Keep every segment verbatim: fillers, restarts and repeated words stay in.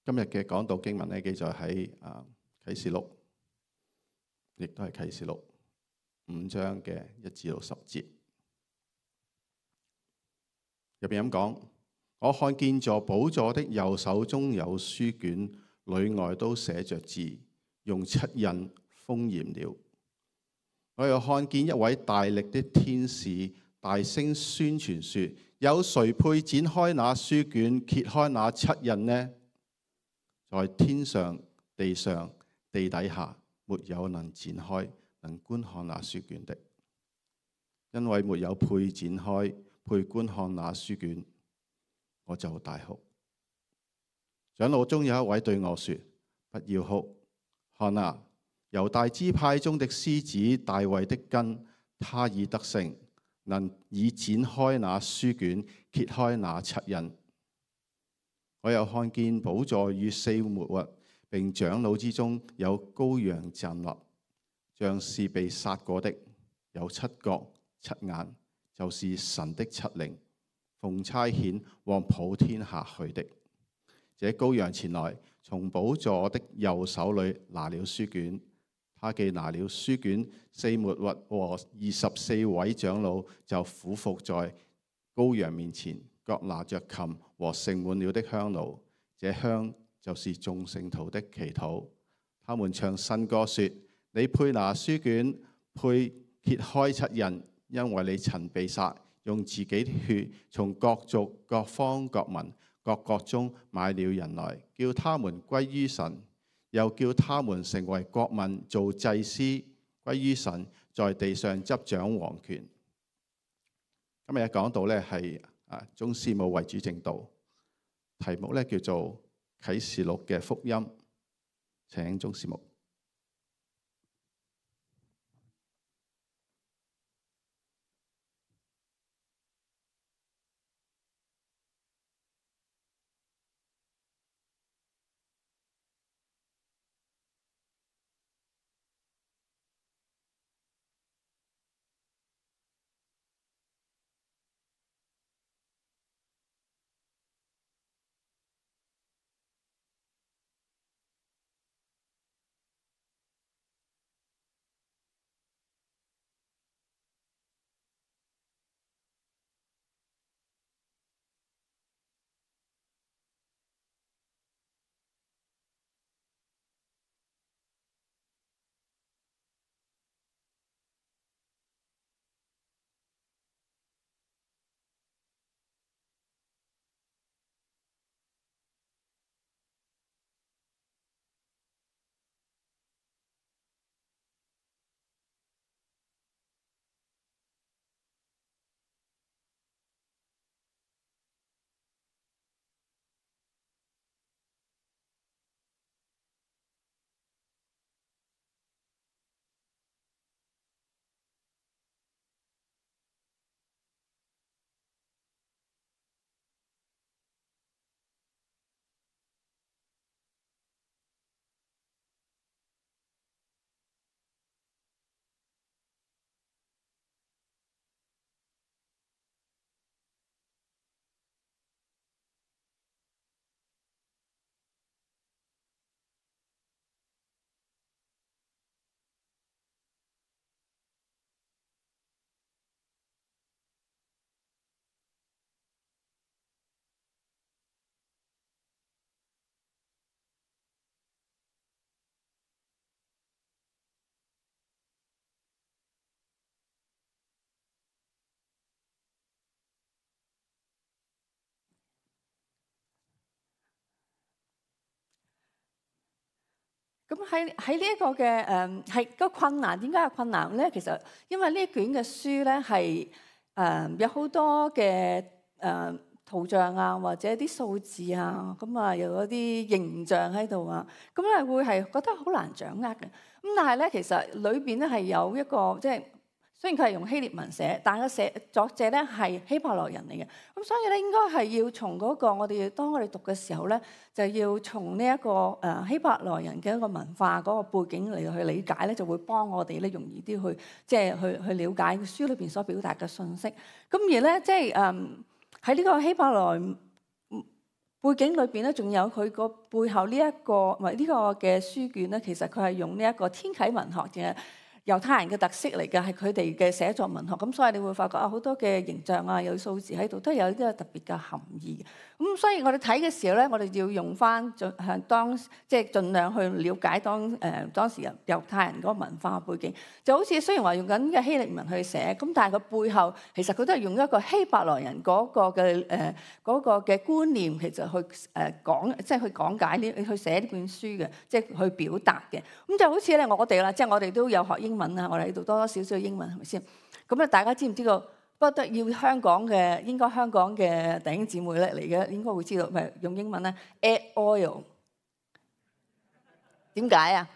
今日嘅講道經文咧，記載喺啊啟示錄，亦都係啟示錄五章嘅一至到十節入邊咁講。我看見坐寶座的右手中有書卷，裏外都寫着字，用七印封嚴了。我又看見一位大力的天使大聲宣傳說：有誰配展開那書卷，揭開那七印呢？在天上、地上、地底下，沒有能展開、能觀看那書卷的，因為沒有配展開、配觀看那書卷。我就大哭。長老中有一位對我說：不要哭，看啊，猶大支派中的獅子大衛的根，他已得勝，能以展開那書卷，揭開那七印。我又看見寶座與四活物並長老之中有羔羊站立，像是被殺過的，有七角七眼，就是神的七靈，奉差遣往普天下去的。這羔羊前來，從寶座的右手裏拿了書卷，他既拿了書卷，四活物和二十四位長老就俯伏在羔羊面前，各拿着琴和盛滿了的香爐，這香就是眾聖徒的祈禱。他們唱新歌說：你配拿書卷，配揭開七印，因為你曾被殺，用自己的血從各族、各方、各民、各國中買了人來，叫他們歸於神，又叫他們成為國民，做祭司，歸於神，在地上執掌王權。今日嘅講道咧係啊鍾師母為主證道，題目咧叫做啟示錄嘅福音。請鍾師母。咁喺喺呢一個嘅誒係個困難，點解有困難咧？其實因為呢一卷嘅書咧係誒有好多嘅誒、呃、圖像啊，或者啲數字啊，咁啊又有啲形象喺度啊，咁咧會係覺得好難掌握嘅。咁但係咧，其實裏邊咧係有一個即係。雖然佢係用希臘文寫，但係個寫作者咧係希伯來人嚟嘅，咁所以咧應該係要從嗰個我哋當我哋讀嘅時候咧，就要從呢一個誒希伯來人嘅一個文化嗰個背景嚟去理解咧，就會幫我哋咧容易啲去即係去去了解書裏邊所表達嘅信息。咁而咧即係誒喺呢個希伯來背景裏邊咧，仲有佢個背後呢、這、一個，唔係呢個嘅書卷咧，其實佢係用呢一個天啟文學嘅猶太人嘅特色嚟嘅，係佢哋嘅寫作文學。咁所以你會發覺啊，好多嘅形象啊，有數字喺度，都有啲特別嘅含義嘅。咁所以我哋睇嘅時候咧，我哋要用翻盡向當即係盡量去了解當誒、呃、當時猶太人嗰個文化背景。就好似雖然話用緊嘅希臘文去寫，咁但係佢背後其實佢都係用一個希伯來人嗰個嘅誒嗰個嘅觀念，其實去誒講，即係去講解呢，去寫呢本書嘅，即係去表達嘅。咁就好似咧我哋啦，即係我哋都有學英文啊，我哋喺度多多少少英文係咪先？咁咧大家知唔知道？不得要香港嘅，應該香港嘅弟兄姊妹咧嚟嘅，應該會知道，咪用英文咧 add oil 點解啊？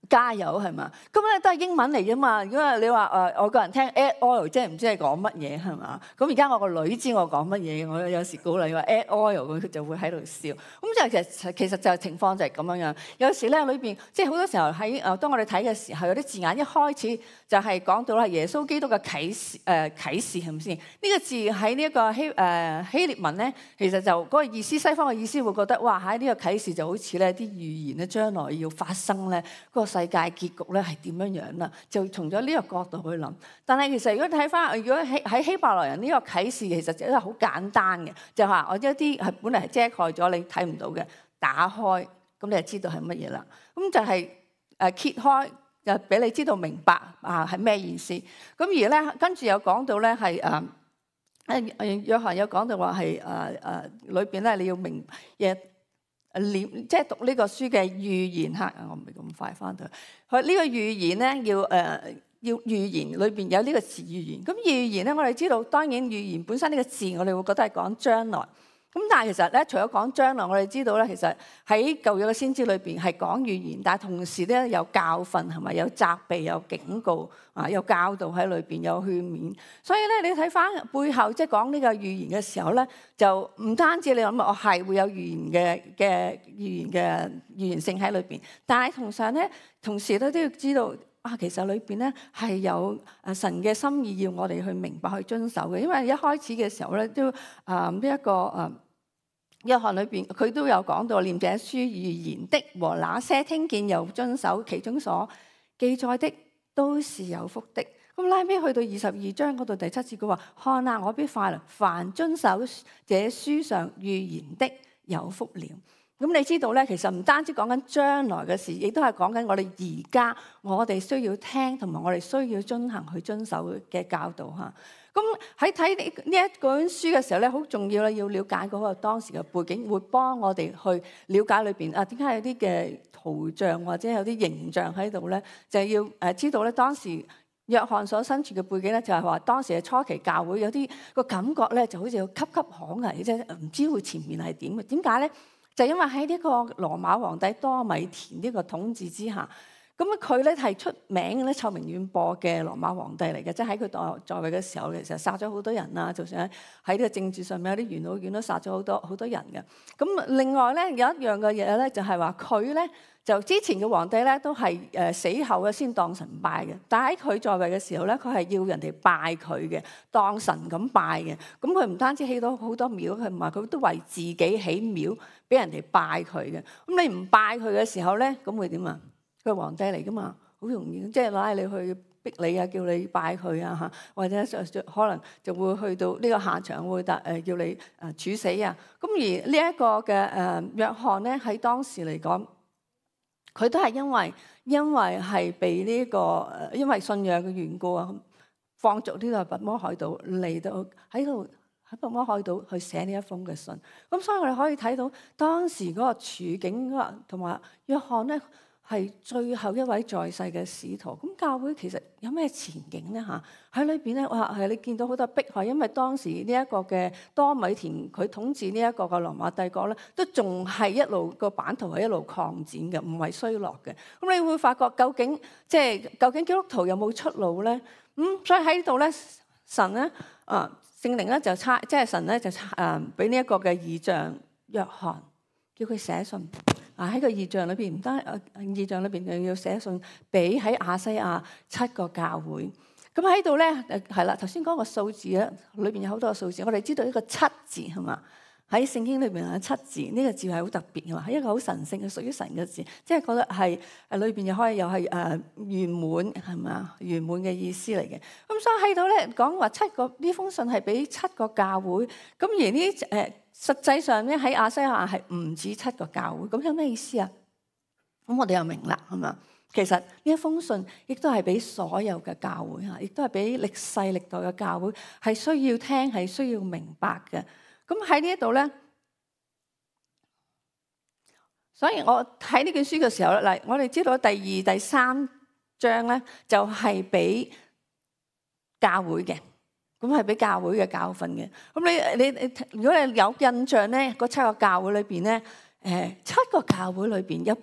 加油係嘛？咁咧都係英文嚟啫嘛。如果你話誒外國人聽 add oil，即係唔知係講乜嘢係嘛？咁而家我個女知我講乜嘢，我有時鼓勵話 add oil，佢就會喺度笑。咁就其實其實就情況就係咁樣樣。有時咧裏邊即係好多時候喺誒當我哋睇嘅時候，有啲字眼一開始就係講到啦耶穌基督嘅啟示誒、呃、啟示係咪先？呢、這個字喺呢一個希誒、呃、希臘文咧，其實就嗰、那個意思，西方嘅意思會覺得哇喺呢、這個啟示就好似咧啲預言咧將來要發生咧嗰、那個世界結局咧係點樣樣啦？就從咗呢個角度去諗。但係其實如果睇翻，如果喺喺希伯來人呢個啟示，其實就係好簡單嘅，就話我一啲係本嚟係遮蓋咗你睇唔到嘅，打開咁你就知道係乜嘢啦。咁就係誒揭開。就俾你知道明白啊係咩意思？咁而咧跟住有講到咧係誒誒誒約翰有講到話係誒誒裏邊咧你要明嘢念，即係讀呢個書嘅預言嚇。我唔係咁快翻到去。佢呢個預言咧要誒、呃、要預言裏邊有呢個字預言。咁預言咧我哋知道，當然預言本身呢個字我哋會覺得係講將來。咁但係其實咧，除咗講將來，我哋知道咧，其實喺舊約嘅先知裏邊係講預言，但係同時咧有教訓係咪？有責備、有警告啊，有教導喺裏邊，有勸勉。所以咧，你睇翻背後即係講呢個預言嘅時候咧，就唔單止你諗我係會有預言嘅嘅預言嘅預言性喺裏邊，但係同上咧，同時咧都要知道啊，其實裏邊咧係有誒神嘅心意要我哋去明白去遵守嘅。因為一開始嘅時候咧都啊呢一個誒。約翰裏邊佢都有講到，念這書預言的和那些聽見又遵守其中所記載的，都是有福的。咁拉尾去到二十二章嗰度第七節，佢話：看啊，我必快來，凡遵守這書上預言的，有福了。咁你知道咧，其實唔單止講緊將來嘅事，亦都係講緊我哋而家我哋需要聽同埋我哋需要遵行去遵守嘅教導嚇。咁喺睇呢呢一本書嘅時候咧，好重要啦，要了解嗰個當時嘅背景，會幫我哋去了解裏邊啊點解有啲嘅圖像或者有啲形象喺度咧，就係要誒知道咧當時約翰所身處嘅背景咧，就係話當時嘅初期教會有啲個感覺咧，就好似岌岌可危啫，唔知會前面係點嘅。點解咧？就因為喺呢個羅馬皇帝多米田呢個統治之下。咁佢咧係出名咧臭名遠播嘅羅馬皇帝嚟嘅，即係喺佢在在位嘅時候，其實殺咗好多人啊！就算喺呢個政治上面有啲元老院都殺咗好多好多人嘅。咁另外咧有一樣嘅嘢咧，就係話佢咧就之前嘅皇帝咧都係誒死後嘅先當神拜嘅，但喺佢在位嘅時候咧，佢係要人哋拜佢嘅，當神咁拜嘅。咁佢唔單止起到好多廟，佢唔係佢都為自己起廟俾人哋拜佢嘅。咁你唔拜佢嘅時候咧，咁會點啊？佢係皇帝嚟噶嘛，好容易即係拉你去逼你啊，叫你拜佢啊嚇，或者可能就會去到呢個下場會誒、呃、叫你誒處死啊。咁而呢一個嘅誒約翰咧喺當時嚟講，佢都係因為因為係被呢、這個誒因為信仰嘅緣故啊，放逐呢個拔摩海島嚟到喺度喺拔摩海島去寫呢一封嘅信。咁所以我哋可以睇到當時嗰個處境啊，同埋約翰咧。係最後一位在世嘅使徒，咁教會其實有咩前景咧嚇？喺裏邊咧，哇係你見到好多迫害，因為當時呢一個嘅多米田佢統治呢一個嘅羅馬帝國咧，都仲係一路個版圖係一路擴展嘅，唔係衰落嘅。咁你會發覺究竟即係究竟基督徒有冇出路咧？咁、嗯、所以喺呢度咧，神咧啊聖靈咧就差，即係神咧就差誒俾呢一個嘅異象約翰，叫佢寫信。啊！喺個異象裏邊，唔單誒異象裏邊又要寫信俾喺亞西亞七個教會。咁喺度咧誒係啦，頭先講個數字咧，裏邊有好多個數字。我哋知道呢個七字係嘛？喺聖經裏邊有七字，呢、這個字係好特別嘅嘛，係一個好神聖嘅屬於神嘅字，即係覺得係誒裏邊又可以又係誒圓滿係嘛，圓滿嘅意思嚟嘅。咁所以喺度咧講話七個呢封信係俾七個教會，咁而呢誒、呃、實際上咧喺亞西亞係唔止七個教會，咁有咩意思啊？咁我哋又明啦，係嘛？其實呢一封信亦都係俾所有嘅教會嚇，亦都係俾歷世歷代嘅教會係需要聽，係需要明白嘅。咁喺呢一度咧，所以我睇呢卷書嘅時候咧，嗱，我哋知道第二、第三章咧就係俾教會嘅，咁係俾教會嘅教訓嘅。咁你你你，如果你有印象咧，嗰七個教會裏邊咧，誒七個教會裏邊有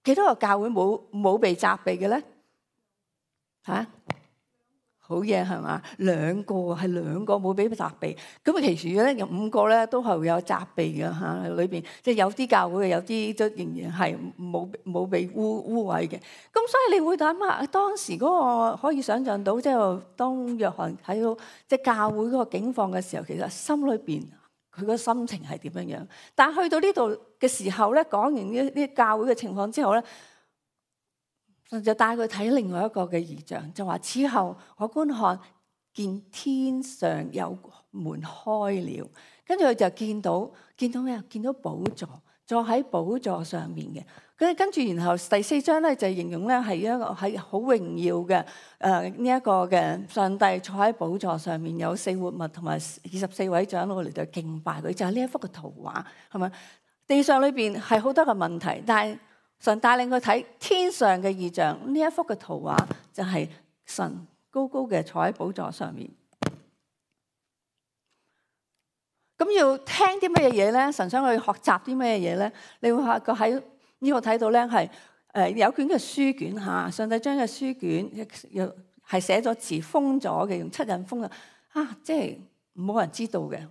幾多個教會冇冇被責備嘅咧？嚇、啊？好嘢係嘛？兩個係兩個冇俾責備，咁啊其餘咧有五個咧都係會有責備嘅嚇，裏邊即係有啲教會嘅，有啲都仍然係冇冇被污污穢嘅。咁所以你會諗下，當時嗰個可以想像到，即係當約翰睇到即係教會嗰個境況嘅時候，其實心裏邊佢個心情係點樣樣？但係去到呢度嘅時候咧，講完呢啲教會嘅情況之後咧，就帶佢睇另外一個嘅異象，就話此後我觀看見天上有門開了，跟住佢就見到見到咩啊？見到寶座，坐喺寶座上面嘅。跟跟住然後第四章咧就形容咧係一個係好榮耀嘅誒呢一個嘅上帝坐喺寶座上面，有四活物同埋二十四位長老嚟到敬拜佢，就係呢一幅嘅圖畫，係咪？地上裏邊係好多嘅問題，但係神帶領佢睇天上嘅異象，呢一幅嘅圖畫就係神高高嘅坐喺寶座上面。咁要聽啲咩嘢咧？神想去學習啲咩嘢咧？你會發覺喺呢度睇到咧係誒有卷嘅書卷嚇，上帝將嘅書卷又係寫咗字封咗嘅，用七印封嘅啊，即係冇人知道嘅。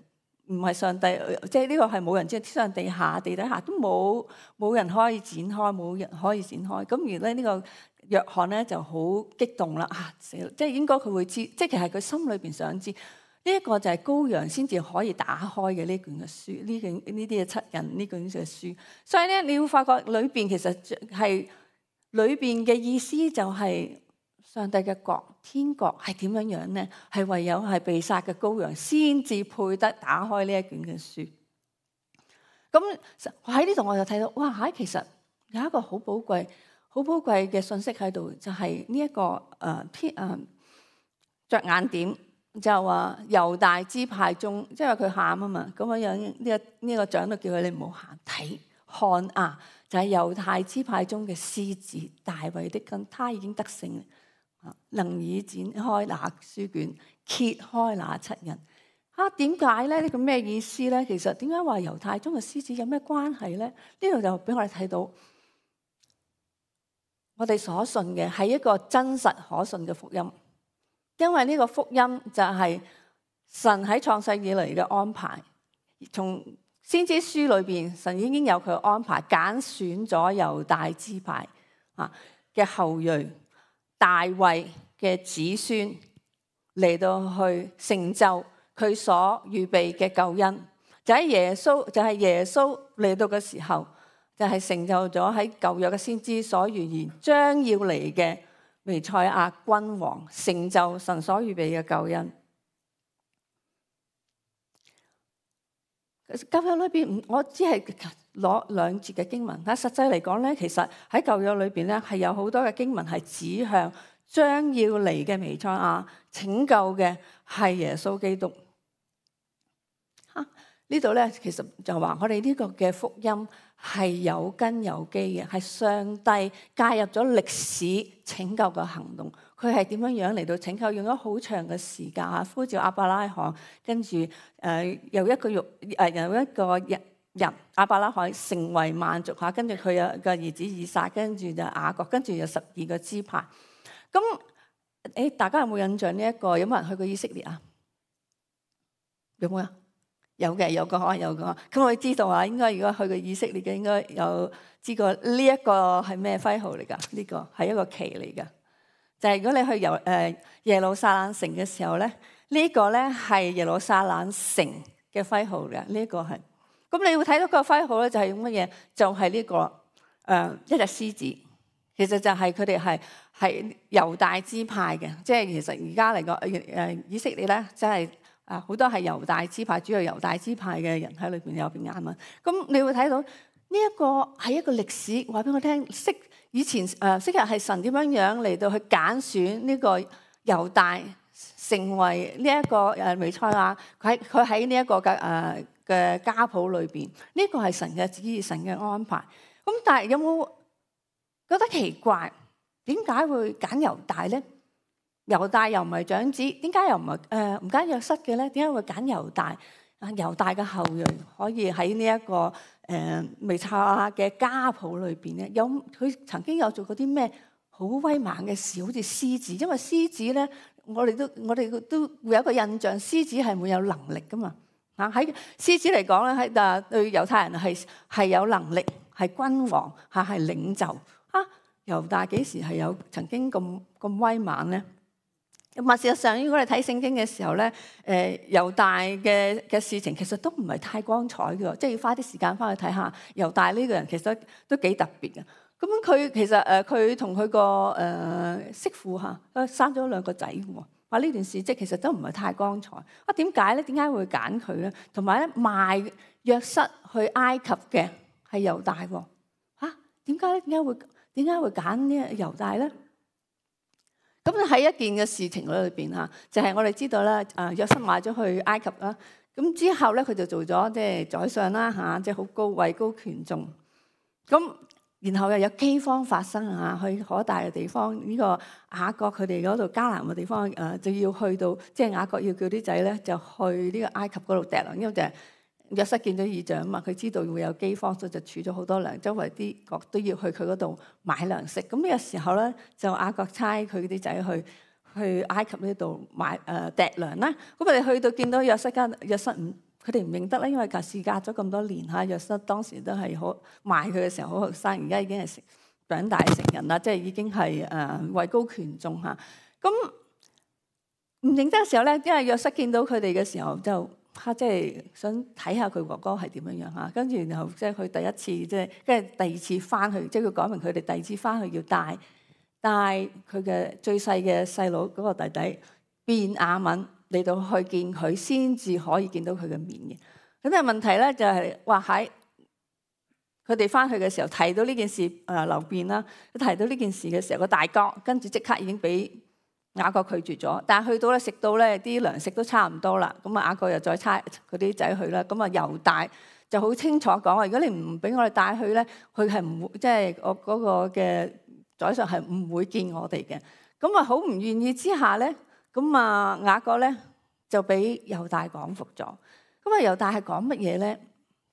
唔係上帝，即係呢個係冇人知，天上地下地底下都冇冇人可以展開，冇人可以展開。咁而咧呢個約翰咧就好激動啦，啊死啦！即係應該佢會知，即係其實佢心裏邊想知呢一個就係羔羊先至可以打開嘅呢卷嘅書，呢卷呢啲嘅七印呢卷嘅書。所以咧你會發覺裏邊其實係裏邊嘅意思就係上帝嘅國。天國係點樣樣咧？係唯有係被殺嘅羔羊先至配得打開呢一卷嘅書。咁喺呢度我就睇到，哇！喺其實有一個好寶貴、好寶貴嘅信息喺度，就係呢一個誒天誒着眼點，就話猶大支派中，即係佢喊啊嘛，咁樣樣呢個呢個長老叫佢你唔好喊，睇看啊，就係猶大支派中嘅獅子大衛的根，他已經得勝。能以展開那書卷，揭開那七印。啊，點解咧？呢個咩意思咧？其實點解話猶太中嘅獅子有咩關係咧？呢度就俾我哋睇到，我哋所信嘅係一個真實可信嘅福音，因為呢個福音就係神喺創世以嚟嘅安排。從先知書裏邊，神已經有佢嘅安排，揀選咗猶大支派啊嘅後裔。大衛嘅子孫嚟到去成就佢所預備嘅救恩，就喺耶穌，就係耶穌嚟到嘅時候，就係成就咗喺舊約嘅先知所預言將要嚟嘅彌賽亞君王，成就神所預備嘅救恩。舊約裏邊，我只係攞兩節嘅經文，但實際嚟講咧，其實喺舊約裏邊咧係有好多嘅經文係指向將要嚟嘅彌賽亞，拯救嘅係耶穌基督。嚇、啊、呢度咧，其實就話我哋呢個嘅福音係有根有基嘅，係上帝介入咗歷史拯救嘅行動。佢係點樣樣嚟到拯救？用咗好長嘅時間啊，呼召亞伯拉罕，跟住誒由一個肉誒由一個人人亞伯拉罕成為萬族嚇，跟住佢有個兒子以撒，跟住就雅各，跟住有十二個支派。咁誒，大家有冇印象呢、這、一個？有冇人去過以色列啊？有冇啊？有嘅，有個可能有個。咁我知道啊，應該如果去過以色列嘅，應該有知過呢一個係咩徽號嚟㗎？呢、這個係一個旗嚟㗎。就係如果你去由誒耶路撒冷城嘅時候咧，呢、這個咧係耶路撒冷城嘅徽號嘅。呢、這、一個係咁你會睇到個徽號咧，就係用乜嘢？就係呢個誒一隻獅子。其實就係佢哋係係猶大支派嘅，即係其實而家嚟講誒以色列咧，即係啊好多係猶大支派，主要猶大支派嘅人喺裏邊有便雅憫。咁你會睇到呢一個係一個歷史，話俾我聽，昔以前誒昔日係神點樣樣嚟到去揀選呢個猶大成為呢一個誒彌賽亞，佢喺佢喺呢一個嘅誒嘅家譜裏邊，呢個係神嘅旨意，神嘅安排。咁但係有冇覺得奇怪？點解會揀猶大咧？猶大又唔係長子，點解又唔係誒唔揀約瑟嘅咧？點解會揀猶大？啊，猶大嘅後裔可以喺呢一個誒彌賽亞嘅家譜裏邊咧，有佢曾經有做過啲咩好威猛嘅事？好似獅子，因為獅子咧，我哋都我哋都會有一個印象，獅子係會有能力噶嘛。啊，喺獅子嚟講咧，喺啊對猶太人係係有能力，係君王，嚇係領袖。啊，猶大幾時係有曾經咁咁威猛咧？咁啊，事實上，如果你睇聖經嘅時候咧，誒猶大嘅嘅事情其實都唔係太光彩嘅，即係要花啲時間翻去睇下猶大呢個人其實都幾特別嘅。咁佢其實誒佢同佢個誒媳婦嚇生咗兩個仔喎。話呢段事蹟其實都唔係太光彩。啊，點解咧？點解會揀佢咧？同埋咧，賣約瑟去埃及嘅係猶大喎。嚇，點解咧？點解會點解會揀呢猶大咧？咁喺一件嘅事情裏邊嚇，就係、是、我哋知道咧，誒約瑟賣咗去埃及啦。咁之後咧，佢就做咗即係宰相啦嚇，即係好高位高權重。咁然後又有饑荒發生啊，去可大嘅地方，呢、這個雅各佢哋嗰度迦南嘅地方誒，就要去到即係、就是、雅各要叫啲仔咧，就去呢個埃及嗰度掟糧，因為就係約瑟見咗異象啊嘛，佢知道會有饑荒，所以就儲咗好多糧，周圍啲國都要去佢嗰度買糧食。咁呢個時候咧，就雅各差佢啲仔去去埃及呢度買誒掟糧啦。咁佢哋去到見到約瑟間約瑟唔。佢哋唔認得啦，因為隔事隔咗咁多年嚇，約瑟當時都係好賣佢嘅時候好後生，而家已經係長大成人啦，即係已經係誒位高權重嚇。咁唔認得嘅時候咧，因為約瑟見到佢哋嘅時候就嚇，即係想睇下佢哥哥係點樣樣嚇。跟住然後即係佢第一次即係跟住第二次翻去，即係佢講明佢哋第二次翻去要帶帶佢嘅最細嘅細佬嗰個弟弟便雅憫嚟到去見佢，先至可以見到佢嘅面嘅。咁但係問題咧就係話喺佢哋翻去嘅時候提到呢件事，誒流便啦，佢提到呢件事嘅時候個大哥，跟住即刻已經俾雅各拒絕咗。但係去到咧食到咧啲糧食都差唔多啦，咁啊雅各又再差佢啲仔去啦。咁啊猶大就好清楚講話，如果你唔俾我哋帶去咧，佢係唔會即係我嗰個嘅宰相係唔會見我哋嘅。咁啊好唔願意之下咧。咁啊，雅各咧就俾猶大講服咗。咁啊，猶大係講乜嘢咧？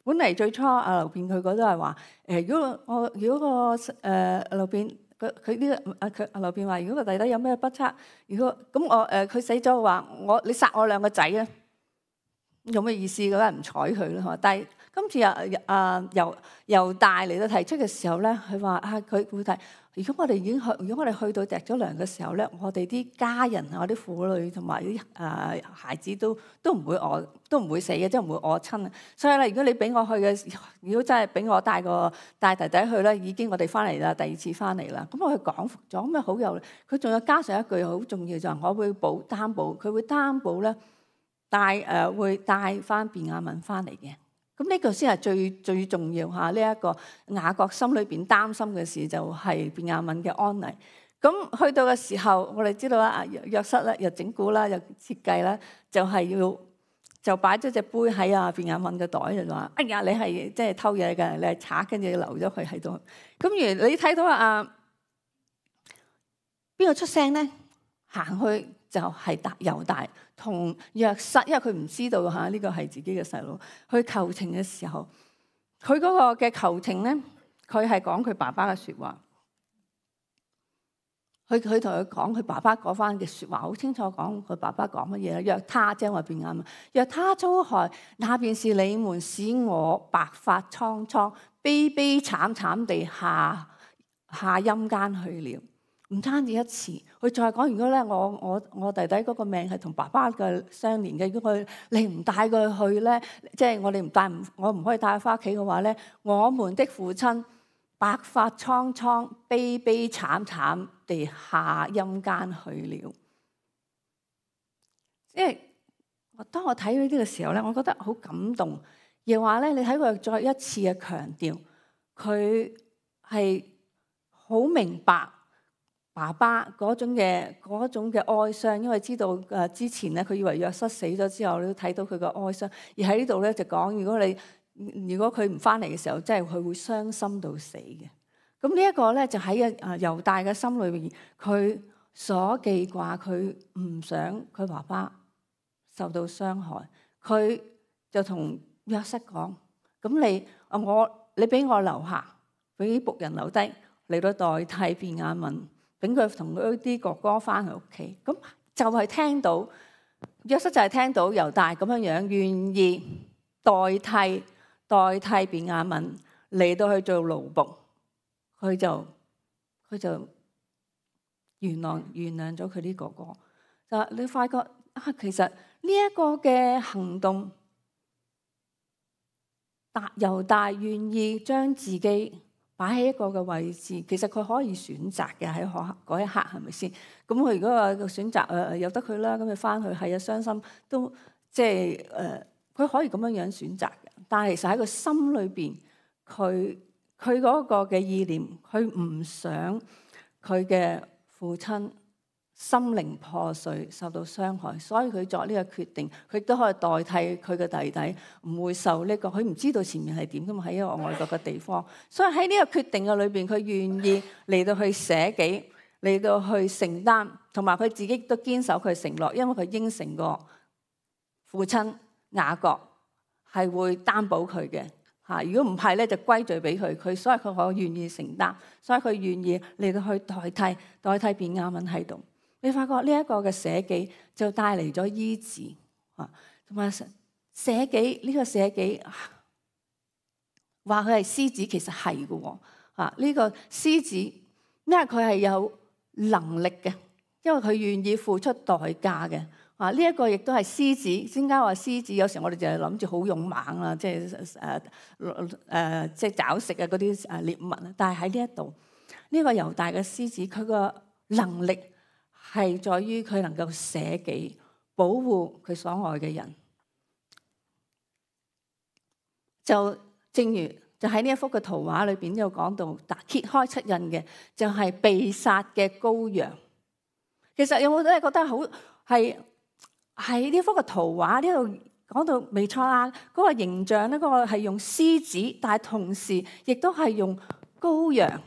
本嚟最初啊，流便佢嗰都係話誒，如果我如果個誒流便佢佢呢個啊佢啊流便話，如果個弟弟有咩不測，如果咁我誒佢死咗話，我你殺我兩個仔咧，有咩意思？梗係唔睬佢啦。但係今次啊啊猶猶大嚟到提出嘅時候咧，佢話啊佢會提。如果我哋已經去，如果我哋去到糴咗糧嘅時候咧，我哋啲家人啊、我啲婦女同埋啲誒孩子都都唔會餓，都唔會死嘅，即係唔會餓親啊。所以咧，如果你俾我去嘅，如果真係俾我帶個帶弟弟去咧，已經我哋翻嚟啦，第二次翻嚟啦。咁我去講服咗，咁啊好有，佢仲有加上一句好重要就係我會保擔保，佢會擔保咧帶誒、呃、會帶翻便雅憫翻嚟嘅。咁呢個先係最最重要嚇，呢一個雅各心裏邊擔心嘅事就係便雅憫嘅安危。咁去到嘅時候，我哋知道啦，約瑟咧又整蠱啦，又設計啦，就係要就擺咗隻杯喺啊便雅憫嘅袋，就話：哎呀，你係即係偷嘢嘅，你係賊，跟住留咗佢喺度。咁而你睇到啊，邊個出聲咧？行去就係大猶大同約瑟，因為佢唔知道嚇呢個係自己嘅細佬。去求情嘅時候，佢嗰個嘅求情咧，佢係講佢爸爸嘅説話。佢佢同佢講佢爸爸嗰番嘅説話，好清楚講佢爸爸講乜嘢咧。若他即係話便雅憫，若他遭害，那便是你們使我白髮蒼蒼、悲悲慘慘地下下陰間去了。唔單止一次，佢再講，如果咧我我我弟弟嗰個命係同爸爸嘅相連嘅，如果佢你唔帶佢去咧，即係我哋唔帶唔我唔可以帶佢翻屋企嘅話咧，我們的父親白髮蒼蒼、悲悲慘慘地下陰間去了。即係當我睇到呢啲嘅時候咧，我覺得好感動。而話咧，你睇佢再一次嘅強調，佢係好明白爸爸嗰種嘅嗰種嘅哀傷，因為知道誒之前咧，佢以為約瑟死咗之後，你都睇到佢嘅哀傷。而喺呢度咧就講，如果你如果佢唔翻嚟嘅時候，即係佢會傷心到死嘅。咁呢一個咧就喺誒猶大嘅心裏邊，佢所記掛，佢唔想佢爸爸受到傷害，佢就同約瑟講：咁你啊我你俾我留下，俾僕人留低嚟到代替便雅憫。等佢同佢啲哥哥翻去屋企，咁就係聽到約瑟就係聽到猶大咁樣樣願意代替代替便雅憫嚟到去做奴僕，佢就佢就原諒原諒咗佢啲哥哥。就你發覺啊，其實呢一個嘅行動，大猶大願意將自己擺喺一個嘅位置，其實佢可以選擇嘅喺嗰一刻，係咪先？咁佢如果話個選擇誒由得佢啦，咁佢翻去係啊傷心都即係誒，佢、呃、可以咁樣樣選擇嘅。但係其實喺個心裏邊，佢佢嗰個嘅意念，佢唔想佢嘅父親心靈破碎，受到傷害，所以佢作呢個決定，佢都可以代替佢嘅弟弟，唔會受呢個。佢唔知道前面係點噶嘛，喺一個外國嘅地方，所以喺呢個決定嘅裏邊，佢願意嚟到去捨己，嚟到去承擔，同埋佢自己都堅守佢承諾，因為佢應承過父親雅各係會擔保佢嘅嚇。如果唔係咧，就歸罪俾佢。佢所以佢可願意承擔，所以佢願意嚟到去代替代替便雅憫喺度。你發覺呢一個嘅捨己就帶嚟咗醫治啊，同埋捨己呢個捨己話佢係獅子，其實係嘅喎啊！呢個獅子，因為佢係有能力嘅，因為佢願意付出代價嘅啊！呢一個亦都係獅子。點解話獅子？有時我哋就係諗住好勇猛啦，即係誒誒，即係找食啊嗰啲誒獵物啊。但係喺呢一度，呢個猶大嘅獅子，佢個能力係在於佢能夠捨己，保護佢所愛嘅人。就正如就喺呢一幅嘅圖畫裏邊有講到，揭開七印嘅就係被殺嘅羔羊。其實有冇都係覺得好係喺呢幅嘅圖畫呢度講到彌賽亞嗰個形象咧，嗰個係用獅子，但係同時亦都係用羔羊。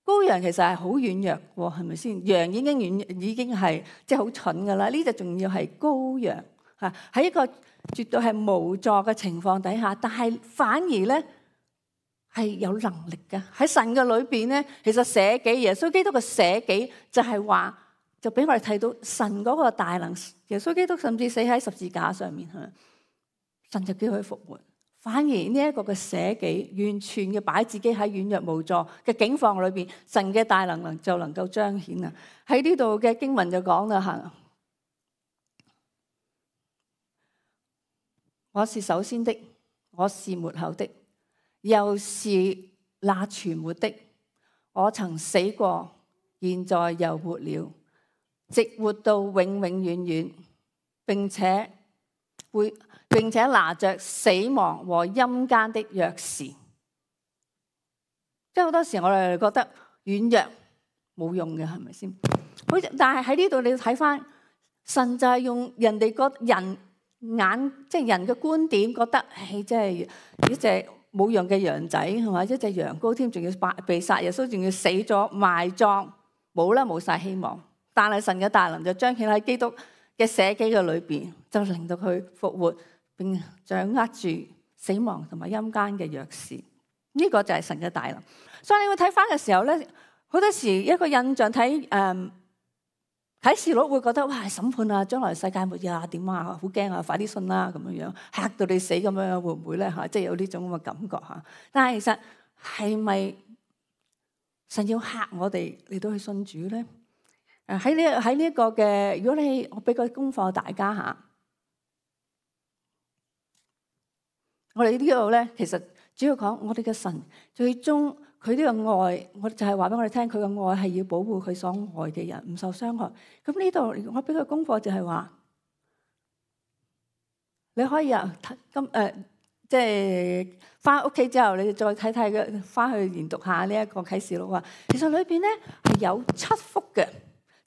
羔羊其實係好軟弱喎，係咪先？羊已經軟，已經係即係好蠢噶啦。呢隻仲要係羔羊嚇，喺一個絕對係無助嘅情況底下，但係反而咧係有能力嘅。喺神嘅裏邊咧，其實捨己，耶穌基督嘅捨己就係話，就俾我哋睇到神嗰個大能。耶穌基督甚至死喺十字架上面嚇，神就叫佢復活。反而呢一個嘅捨己，完全嘅擺自己喺軟弱無助嘅境況裏邊，神嘅大能能就能夠彰顯啊！喺呢度嘅經文就講啦嚇，我是首先的，我是末後的，又是那存活的。我曾死過，現在又活了，直活到永永遠遠，並且會。並且拿着死亡和陰間的鑰匙，即係好多時我哋覺得軟弱冇用嘅，係咪先？好，但係喺呢度你要睇翻，神就係用人哋個人眼，即係人嘅觀點，覺得唉，即係一隻冇用嘅羊仔，係嘛？一隻羊羔添，仲要被殺，耶穌仲要死咗埋葬，冇啦，冇晒希望。但係神嘅大能就彰顯喺基督嘅捨己嘅裏邊，就令到佢復活。並掌握住死亡同埋陰間嘅鑰匙，呢、這個就係神嘅大能。所以你會睇翻嘅時候咧，好多時一個印象睇誒啟示錄會覺得哇，審判啊，將來世界末日啊，點啊，好驚啊，快啲信啦咁樣樣，嚇到你死咁樣，會唔會咧嚇？即係有呢種咁嘅感覺嚇。但係其實係咪神要嚇我哋嚟到去信主咧？誒喺呢喺呢一個嘅，如果你我俾個功課大家嚇，我哋呢度咧其實主要講我哋嘅神最終佢呢個愛，我就係話俾我哋聽，佢嘅愛係要保護佢所愛嘅人唔受傷害。咁呢度我俾個功課就係話，你可以啊今誒即係翻屋企之後，你再睇睇嘅，翻去研讀下呢一個啟示錄啊。其實裏邊咧係有七福嘅。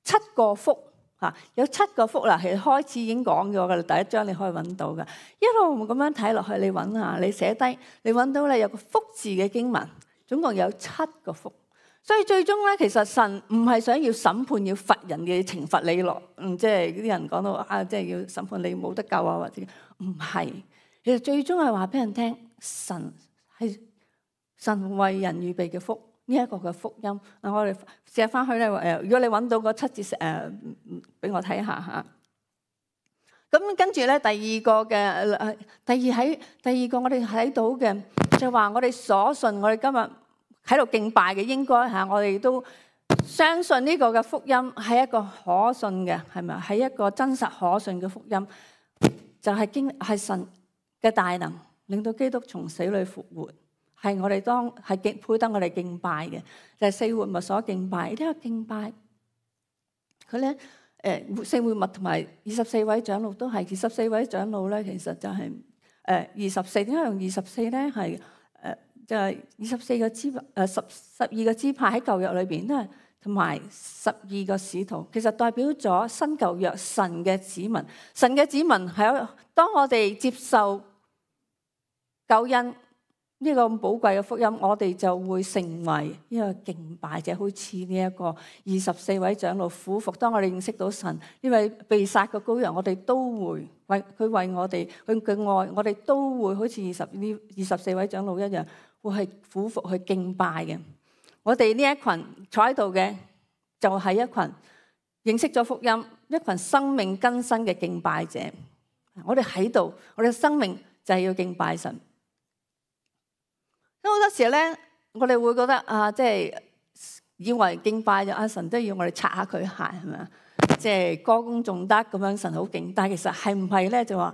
七個福嚇，有七個福啦。其實開始已經講咗㗎啦，第一章你可以揾到㗎。一路咁樣睇落去，你揾下，你寫低，你揾到咧有個福字嘅經文，總共有七個福。所以最終咧，其實神唔係想要審判、要罰人嘅懲罰你落，嗯，即係啲人講到啊，即係要審判你冇得救啊，或者唔係。其實最終係話俾人聽，神係神為人預備嘅福。呢一個嘅福音，嗱我哋寫翻去咧誒，如果你揾到個七節誒，俾我睇下嚇。咁跟住咧，第二個嘅誒，第二喺第二個我哋睇到嘅就話，我哋所信，我哋今日喺度敬拜嘅應該嚇，我哋都相信呢個嘅福音係一個可信嘅，係咪？係一個真實可信嘅福音，就係經係神嘅大能，令到基督從死裏復活。係我哋當係敬配得我哋敬拜嘅，就係四活物所敬拜。呢個敬拜佢咧誒四活物同埋二十四位長老都係，二十四位長老咧，其實就係誒二十四。點解用二十四咧？係誒就係二十四個支誒十十二個支派喺舊約裏邊都係，同埋十二個使徒，其實代表咗新舊約神嘅子民。神嘅子民係當我哋接受救恩。呢個咁寶貴嘅福音，我哋就會成為呢個敬拜者，好似呢一個二十四位長老俯伏。當我哋認識到神呢位被殺嘅羔羊，我哋都會為佢為我哋佢嘅愛，我哋都會好似二十呢二十四位長老一樣，會係俯伏去敬拜嘅。我哋呢一群坐喺度嘅，就係一群認識咗福音、一群生命更新嘅敬拜者。我哋喺度，我哋嘅生命就係要敬拜神。咁好多時咧，我哋會覺得啊，即係以為敬拜咗阿神都要我哋擦下佢鞋，係咪啊？即係歌功頌德咁樣，神好勁。但係其實係唔係咧？就話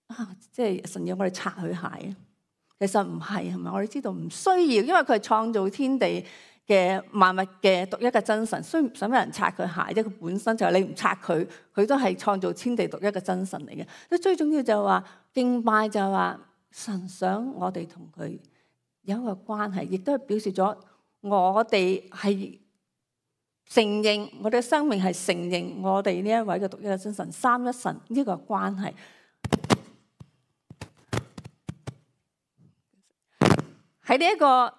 啊，即係神要我哋擦佢鞋啊？其實唔係，係咪？我哋知道唔需要，因為佢係創造天地嘅萬物嘅獨一嘅真神，需唔使咩人擦佢鞋？即係佢本身就係你唔擦佢，佢都係創造天地獨一嘅真神嚟嘅。所以最重要就係話敬拜就係話神想我哋同佢有一個關係，亦都係表示咗我哋係承認我哋嘅生命係承認我哋呢一位嘅獨一嘅真神三一神呢個關係。喺呢一個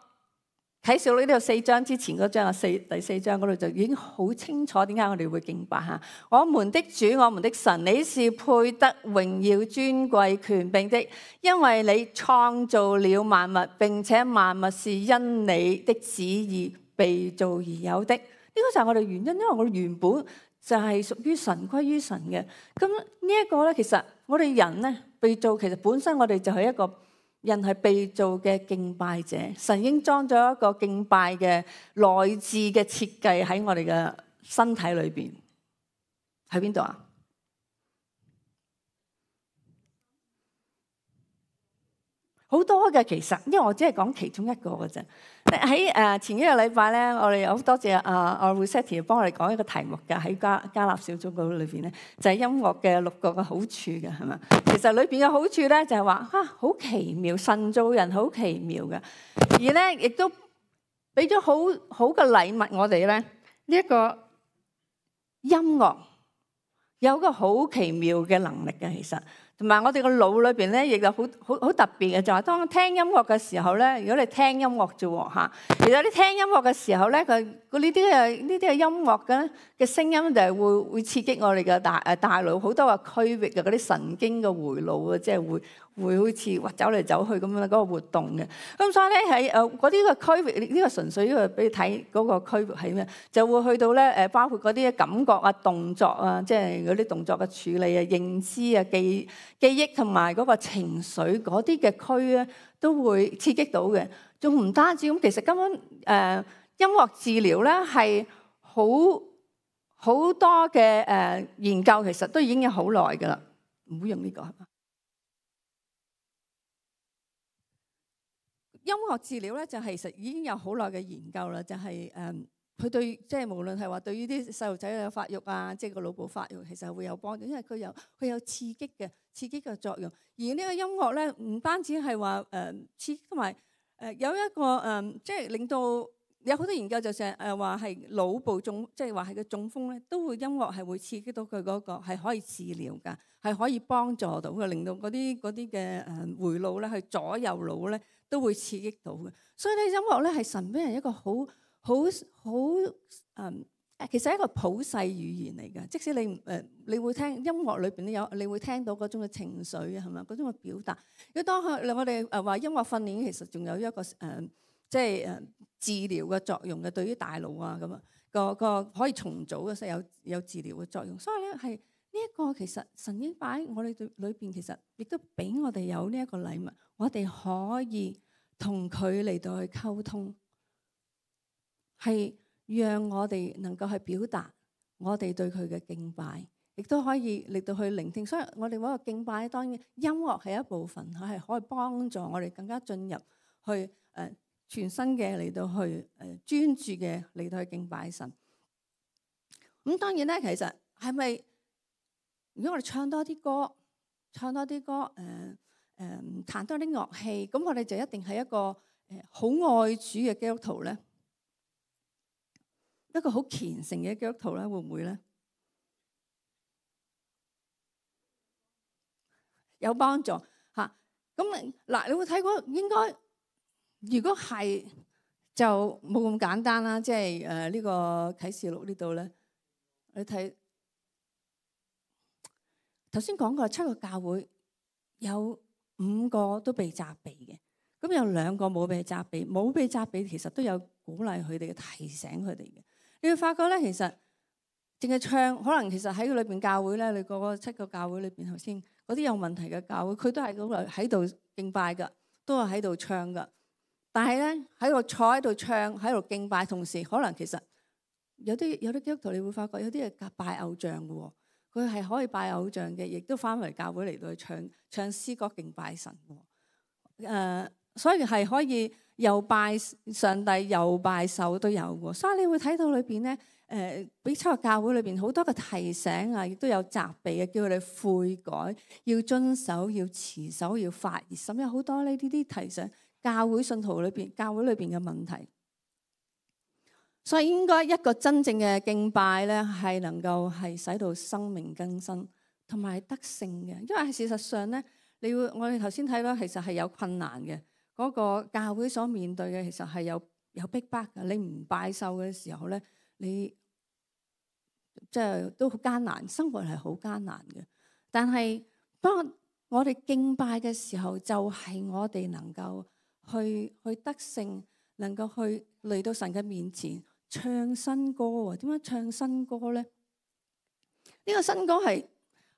啟示錄呢度四章之前嗰章啊，四第四章嗰度就已經好清楚點解我哋會敬拜嚇。我們的主，我們的神，你是配得榮耀、尊貴、權柄的，因為你創造了萬物，並且萬物是因你的旨意被造而有的。呢個就係我哋原因，因為我哋原本就係屬於神、歸於神嘅。咁呢一個咧，其實我哋人咧被造，其實本身我哋就係一個。人係被造嘅敬拜者，神已經裝咗一個敬拜嘅內置嘅設計喺我哋嘅身體裏邊，喺邊度啊？好多嘅其實，因為我只係講其中一個嘅啫。喺誒前幾個禮拜咧，我哋好多謝阿阿 Rossetti 幫我哋講一個題目嘅，喺加加納小組嗰裏邊咧，就係、是、音樂嘅六個嘅好處嘅，係嘛？其實裏邊嘅好處咧就係話啊，好奇妙，神造人好奇妙嘅，而咧亦都俾咗好好嘅禮物我哋咧，呢、這、一個音樂有一個好奇妙嘅能力嘅，其實。同埋我哋個腦裏邊咧，亦有好好好特別嘅，就係當聽音樂嘅時候咧，如果你聽音樂啫喎嚇，其實你聽音樂嘅時候咧，佢佢呢啲嘅呢啲嘅音樂嘅嘅聲音就係會會刺激我哋嘅大誒大腦好多個區域嘅嗰啲神經嘅回路啊，即係會會好似哇走嚟走去咁樣嗰個活動嘅。咁所以咧喺誒嗰啲嘅區域，呢個純粹呢個俾你睇嗰個區域係咩，就會去到咧誒包括嗰啲嘅感覺啊、動作啊，即係嗰啲動作嘅處理啊、認知啊、記記憶同埋嗰個情緒嗰啲嘅區咧，都會刺激到嘅。仲唔單止咁，其實根本誒、呃、音音樂治療咧係好好多嘅誒研究，其實都已經有好耐噶啦。唔好用呢個係嘛？音樂治療咧就係其實已經有好耐嘅研究啦，就係誒佢對即係無論係話對於啲細路仔嘅發育啊，即係個腦部發育，其實係會有幫助，因為佢有佢有刺激嘅刺激嘅作用。而呢個音樂咧唔單止係話誒刺激，同埋誒有一個誒即係令到有好多研究就成誒話係腦部中，即係話係個中風咧，都會音樂係會刺激到佢嗰個係可以治療㗎，係可以幫助到嘅，令到嗰啲嗰啲嘅誒回路咧，去左右腦咧都會刺激到嘅。所以咧音樂咧係神俾人一個好好好誒，其實係一個普世語言嚟嘅。即使你誒、呃，你會聽音樂裏邊都有，你會聽到嗰種嘅情緒啊，係咪？嗰種嘅表達。如果當佢我哋誒話音樂訓練，其實仲有一個誒、呃，即係誒治療嘅作用嘅，對於大腦啊咁啊，個個可以重組嘅，所以有有治療嘅作用。所以咧係呢一個其實神已經擺喺我哋對裏邊，其實亦都俾我哋有呢一個禮物，我哋可以同佢嚟到去溝通。係讓我哋能夠去表達我哋對佢嘅敬拜，亦都可以嚟到去聆聽。所以我哋嗰個敬拜，當然音樂係一部分，佢係可以幫助我哋更加進入去誒、呃、全新嘅嚟到去誒、呃、專注嘅嚟到去敬拜神。咁當然咧，其實係咪如果我哋唱多啲歌，唱多啲歌，誒、呃、誒、呃、彈多啲樂器，咁我哋就一定係一個誒好、呃、愛主嘅基督徒咧？一個好虔誠嘅基督徒咧，會唔會咧？有幫助嚇。咁嗱，你會睇過應該，如果係就冇咁簡單啦。即係誒呢個啟示錄呢度咧，你睇頭先講過七個教會有五個都被責備嘅，咁有兩個冇被責備，冇被責備其實都有鼓勵佢哋嘅，提醒佢哋嘅。你會發覺咧，其實淨係唱，可能其實喺裏邊教會咧，你個個七個教會裏邊頭先嗰啲有問題嘅教會，佢都係咁喺度敬拜噶，都係喺度唱噶。但係咧喺度坐喺度唱，喺度敬拜，同時可能其實有啲有啲基督徒，你會發覺有啲係拜偶像嘅喎，佢係可以拜偶像嘅，亦都翻嚟教會嚟到去唱唱詩歌敬拜神喎。誒、呃，所以係可以。又拜上帝又拜獸都有喎，所以你會睇到裏邊咧，誒俾七個教會裏邊好多嘅提醒啊，亦都有責備嘅，叫佢哋悔改，要遵守，要持守，要發熱心，有好多呢啲啲提醒教會信徒裏邊、教會裏邊嘅問題。所以應該一個真正嘅敬拜咧，係能夠係使到生命更新同埋得勝嘅，因為事實上咧，你會我哋頭先睇到其實係有困難嘅。嗰個教會所面對嘅其實係有有逼迫嘅，你唔拜獸嘅時候咧，你即係都好艱難，生活係好艱難嘅。但係當我哋敬拜嘅時候，就係我哋能夠去去得勝，能夠去嚟到神嘅面前唱新歌喎。點樣唱新歌咧？呢個新歌係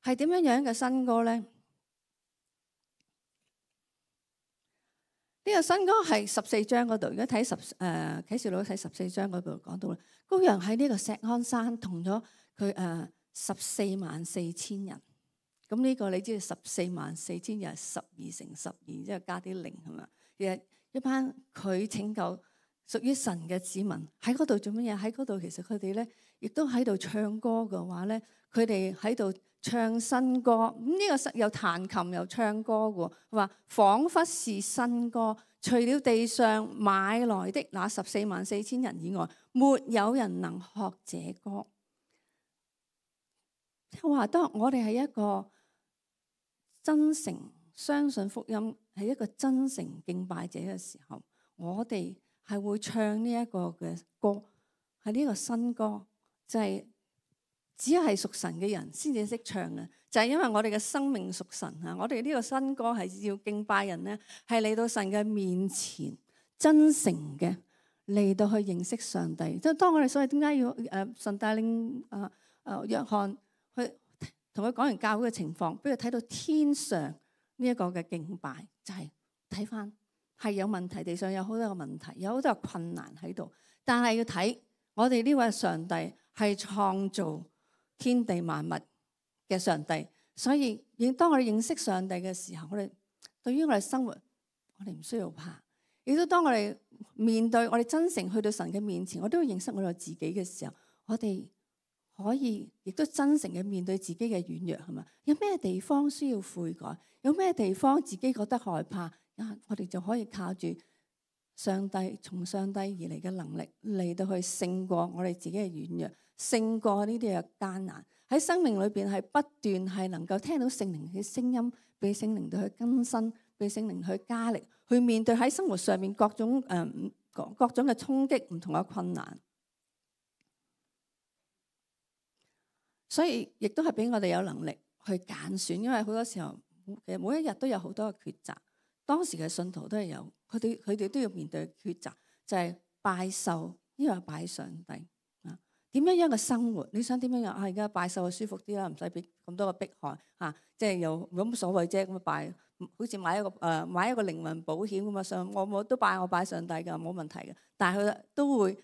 係點樣樣嘅新歌咧？呢個新歌係十四章嗰度，如果睇十誒啟示錄睇十四章嗰度講到啦，羔羊喺呢個錫安山同咗佢誒十四萬四千人。咁呢個你知道十四萬四千人十二乘十二，即係加啲零係嘛？其實一班佢拯救屬於神嘅子民喺嗰度做乜嘢？喺嗰度其實佢哋咧亦都喺度唱歌嘅話咧，佢哋喺度唱新歌。咁、這、呢個又彈琴又唱歌嘅，話彷彿是新歌。除了地上買來的那十四萬四千人以外，沒有人能學這歌。即係話，當我哋係一個真誠相信福音，係一個真誠敬拜者嘅時候，我哋係會唱呢一個嘅歌，係呢個新歌，就係、是、只係屬神嘅人先至識唱嘅，就係、是、因為我哋嘅生命屬神啊！我哋呢個新歌係要敬拜人咧，係嚟到神嘅面前，真誠嘅嚟到去認識上帝。即係當我哋所謂點解要誒神帶領啊誒約翰去同佢講完教會嘅情況，俾佢睇到天上呢一個嘅敬拜，就係睇翻係有問題，地上有好多個問題，有好多個困難喺度。但係要睇我哋呢位上帝係創造天地萬物嘅上帝，所以當我哋認識上帝嘅時候，我哋對於我哋生活，我哋唔需要怕。亦都當我哋面對我哋真誠去到神嘅面前，我都要認識我哋自己嘅時候，我哋可以亦都真誠嘅面對自己嘅軟弱，係嘛？有咩地方需要悔改？有咩地方自己覺得害怕？啊，我哋就可以靠住上帝從上帝而嚟嘅能力嚟到去勝過我哋自己嘅軟弱，勝過呢啲嘅艱難。喺生命裏邊係不斷係能夠聽到聖靈嘅聲音，被聖靈到去更新，被聖靈去加力，去面對喺生活上面各種誒、呃、各各種嘅衝擊、唔同嘅困難。所以亦都係俾我哋有能力去揀選，因為好多時候其實每一日都有好多嘅抉擇。當時嘅信徒都係有，佢哋佢哋都要面對抉擇，就係、是、拜獸，呢個係拜上帝啊。點樣樣嘅生活？你想點樣樣啊？而家拜獸就舒服啲啦，唔使俾咁多嘅迫害啊，即係又冇乜所謂啫。咁拜，好似買一個誒、呃、買一個靈魂保險咁啊，上我我都拜我拜上帝㗎，冇問題嘅。但係佢都會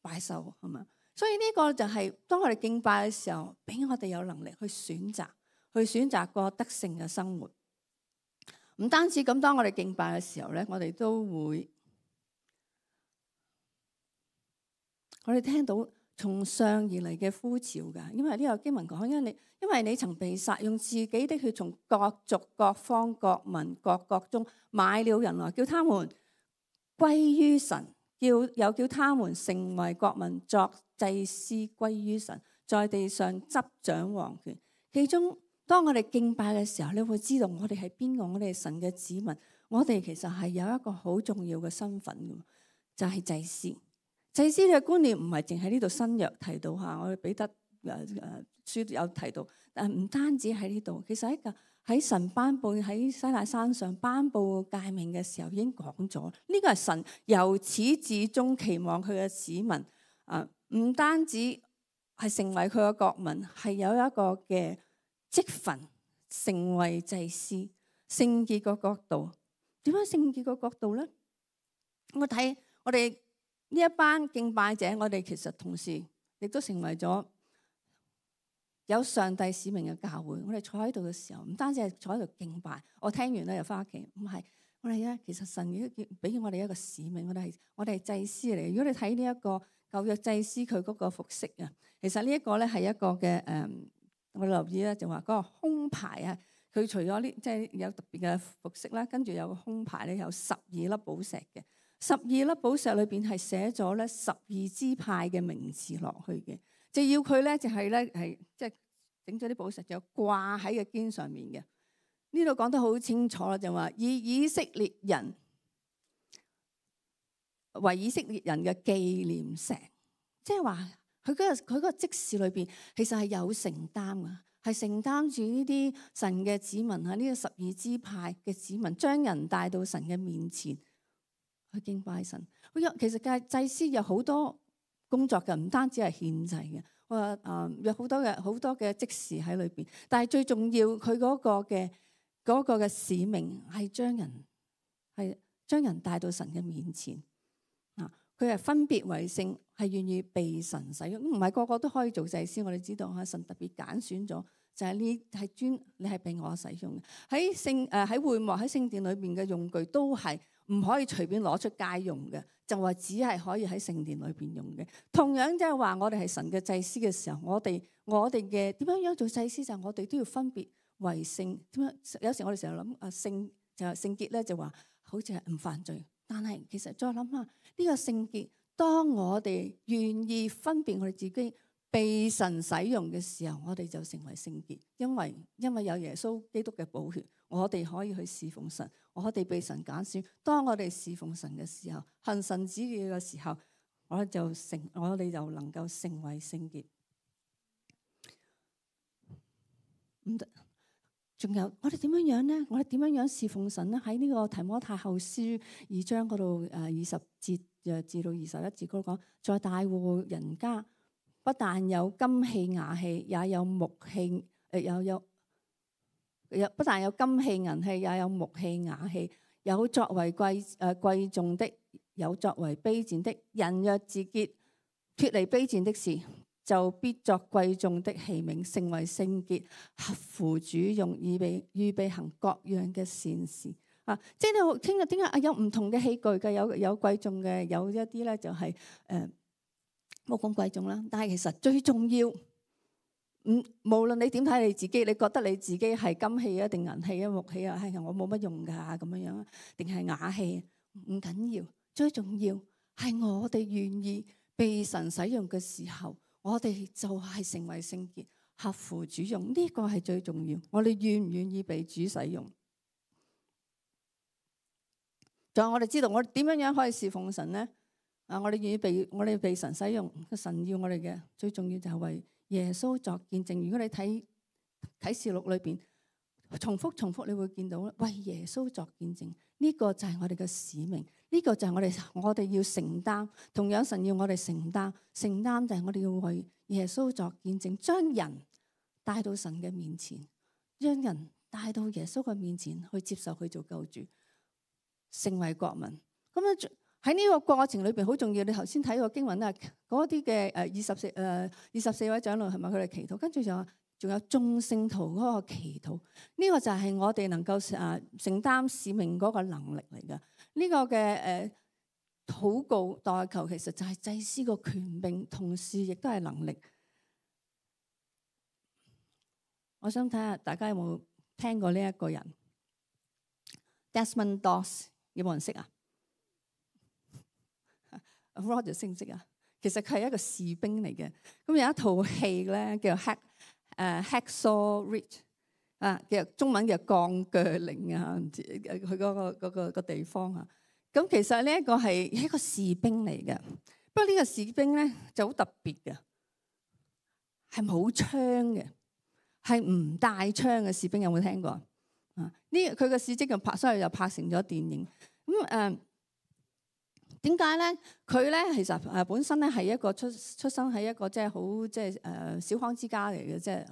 拜獸係嘛？所以呢個就係當我哋敬拜嘅時候，俾我哋有能力去選擇，去選擇過得勝嘅生活。唔單止咁，當我哋敬拜嘅時候咧，我哋都會，我哋聽到從上而嚟嘅呼召㗎。因為呢個經文講，因為你因為你曾被殺，用自己的血從各族、各方、各民、各國中買了人來，叫他們歸於神，叫又叫他們成為國民，作祭司歸於神，在地上執掌王權。其中當我哋敬拜嘅時候，你會知道我哋係邊個？我哋係神嘅子民，我哋其實係有一個好重要嘅身份嘅，就係祭司。祭司嘅觀念唔係淨喺呢度新約提到嚇，我哋彼得誒誒書有提到，但係唔單止喺呢度，其實喺個喺神頒布喺西奈山上頒布誡命嘅時候已經講咗，呢個係神由始至終期望佢嘅子民啊，唔單止係成為佢嘅國民，係有一個嘅職分，成為祭司，聖潔個角度。點樣聖潔個角度咧？我睇我哋呢一班敬拜者，我哋其實同時亦都成為咗有上帝使命嘅教會。我哋坐喺度嘅時候，唔單止係坐喺度敬拜，我聽完咧又翻屋企。唔係，我哋咧其實神已經俾我哋一個使命，我哋係我哋係祭司嚟。如果你睇呢一個舊約祭司佢嗰個服飾啊，其實呢一個咧係一個嘅誒。嗯我留意咧就話嗰個胸牌啊，佢除咗呢即係有特別嘅服飾啦，跟住有個胸牌咧有十二粒寶石嘅，十二粒寶石裏邊係寫咗咧十二支派嘅名字落去嘅，就要佢咧就係咧係即係整咗啲寶石就掛喺個肩上面嘅。呢度講得好清楚啦，就話以以色列人為以色列人嘅紀念石，即係話。佢嗰個佢嗰個職事裏邊，其實係有承擔噶，係承擔住呢啲神嘅子民啊，呢個十二支派嘅子民，將人帶到神嘅面前去敬拜神。其實嘅祭司有好多工作嘅，唔單止係獻祭嘅，我話誒有好多嘅好多嘅職事喺裏邊。但係最重要，佢嗰個嘅嗰個嘅使命係將人係將人帶到神嘅面前啊。佢係分別為聖，係願意被神使用，唔係個個都可以做祭司。我哋知道嚇，神特別揀選咗，就係呢係專你係被我使用嘅。喺聖誒喺會幕喺聖殿裏邊嘅用具都係唔可以隨便攞出街用嘅，就話只係可以喺聖殿裏邊用嘅。同樣即係話我哋係神嘅祭司嘅時候，我哋我哋嘅點樣樣做祭司就係我哋都要分別為聖。點樣有時我哋成日諗啊聖就係聖潔咧，就話好似係唔犯罪。但係其實再諗下呢個聖潔，當我哋願意分別我哋自己被神使用嘅時候，我哋就成為聖潔，因為因為有耶穌基督嘅寶血，我哋可以去侍奉神，我哋被神揀選。當我哋侍奉神嘅時候，行神旨意嘅時候，我就成我哋就能夠成為聖潔。唔得。仲有我哋點樣樣咧？我哋點樣樣侍奉神咧？喺呢個提摩太後書二章嗰度，誒二十節誒至到二十一節嗰度講，在大戶人家不但有金器瓦器，也有木器，誒有有有不但有金器銀器，也有木器瓦器，有作為貴誒、呃、貴重的，有作為卑賤的。人若自潔，脫離卑賤的事，就必作貴重的器皿，成為聖潔，合乎主用，預備預備行各樣嘅善事。啊，即係你聽日點解啊？有唔同嘅器具嘅，有有貴重嘅，有一啲咧就係誒冇咁貴重啦。但係其實最重要，唔無論你點睇你自己，你覺得你自己係金器啊，定銀器啊，木器啊，係我冇乜用㗎咁樣樣，定係瓦器，唔緊要。最重要係我哋願意被神使用嘅時候，我哋就係成為聖潔，合乎主用。呢個係最重要。我哋願唔願意被主使用？仲有我哋知道我哋點樣樣可以侍奉神咧？啊，我哋願意被我哋被神使用，神要我哋嘅最重要就係為耶穌作見證。如果你睇啟示錄裏邊重複重複，你會見到為耶穌作見證，呢個就係我哋嘅使命，呢個就係我哋我哋要承擔。同樣神要我哋承擔，承擔就係我哋要為耶穌作見證，將人帶到神嘅面前，將人帶到耶穌嘅面前去接受佢做救主，成為國民。咁樣喺呢個過程裏邊好重要。你頭先睇個經文啊，嗰啲嘅誒二十四誒二十四位長老係咪佢哋祈禱？跟住就話仲有眾聖徒嗰個祈禱。呢個就係我哋能夠誒承擔使命嗰個能力嚟㗎。呢個嘅誒禱告代求其實就係祭司個權柄，同時亦都係能力。我想睇下大家有冇聽過呢一個人 Desmond Doss， 有冇人識啊？Roger 識唔識啊？其實佢係一個士兵嚟嘅。咁有一套戲咧叫 Hack 誒 Hacksaw Ridge 啊，叫中文叫鋼鋸嶺啊，唔知佢嗰個嗰個個地方啊。咁其實呢一個係一個士兵嚟嘅。不過呢個士兵咧就好特別嘅，係冇槍嘅，係唔帶槍嘅士兵。有冇聽過啊？呢佢嘅事蹟就拍，所以又拍成咗電影。咁誒點解咧？佢咧其實誒本身咧係一個出出生喺一個即係好即係誒小康之家嚟嘅，即係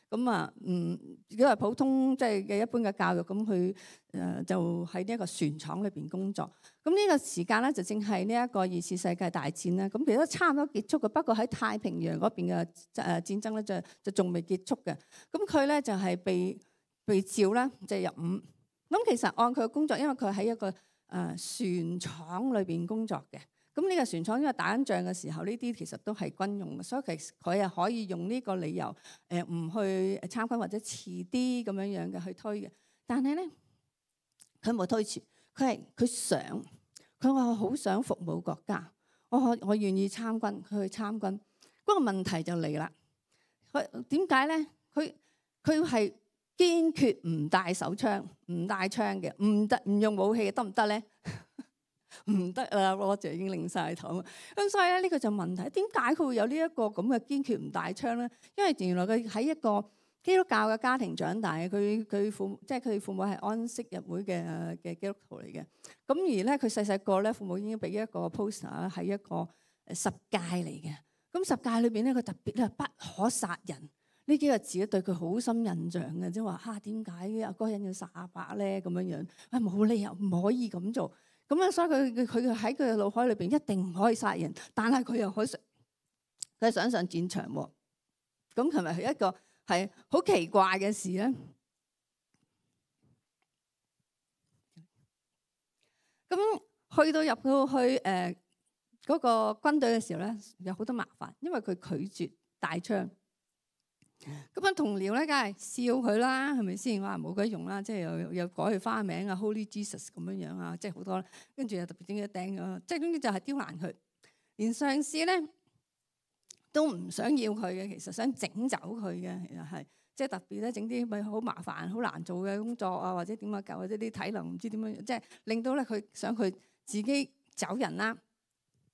咁啊，嗯，如果係普通即係嘅一般嘅教育，咁佢誒就喺呢一個船廠裏邊工作。咁呢個時間咧就正係呢一個二次世界大戰啦。咁其實都差唔多結束嘅，不過喺太平洋嗰邊嘅誒戰爭咧就就仲未結束嘅。咁佢咧就係被被召啦，就入伍。咁其實按佢嘅工作，因為佢喺一個誒、呃、船廠裏邊工作嘅，咁呢個船廠因為打緊仗嘅時候，呢啲其實都係軍用嘅，所以其實佢係可以用呢個理由誒唔、呃、去參軍或者遲啲咁樣樣嘅去推嘅。但係咧，佢冇推遲，佢係佢想，佢話我好想服務國家，我可我願意參軍，佢去參軍。嗰、那個問題就嚟啦，佢點解咧？佢佢係堅決唔帶手槍，唔帶槍嘅，唔得唔用武器嘅，得唔得咧？唔得啦，Roger 已經擰晒頭。咁所以咧，呢個就問題，點解佢會有呢一個咁嘅堅決唔帶槍咧？因為原來佢喺一個基督教嘅家庭長大嘅，佢佢父即係佢父母係安息日會嘅嘅基督徒嚟嘅。咁而咧，佢細細個咧，父母已經俾一個 poster 係一個誒十戒嚟嘅。咁十戒裏邊咧，佢特別咧不可殺人。呢幾個字咧對佢好深印象嘅，即係話嚇點解阿嗰人要殺阿伯咧咁樣樣？啊冇理由唔可以咁做。咁啊，所以佢佢佢喺佢嘅腦海裏邊一定唔可以殺人，但係佢又可以佢想上戰場喎。咁係咪係一個係好奇怪嘅事咧？咁去到入到去誒嗰、呃嗰個軍隊嘅時候咧，有好多麻煩，因為佢拒絕帶槍。咁樣同僚咧，梗係笑佢啦，係咪先？話冇鬼用啦，即係又又改佢花名啊 ，Holy Jesus 咁樣樣啊，即係好多。跟住又特別整咗釘咗，即係總之就係刁難佢。連上司咧都唔想要佢嘅，其實想整走佢嘅，其實係即係特別咧整啲咪好麻煩、好難做嘅工作啊，或者點啊，或者啲體能唔知點樣，即係令到咧佢想佢自己走人啦。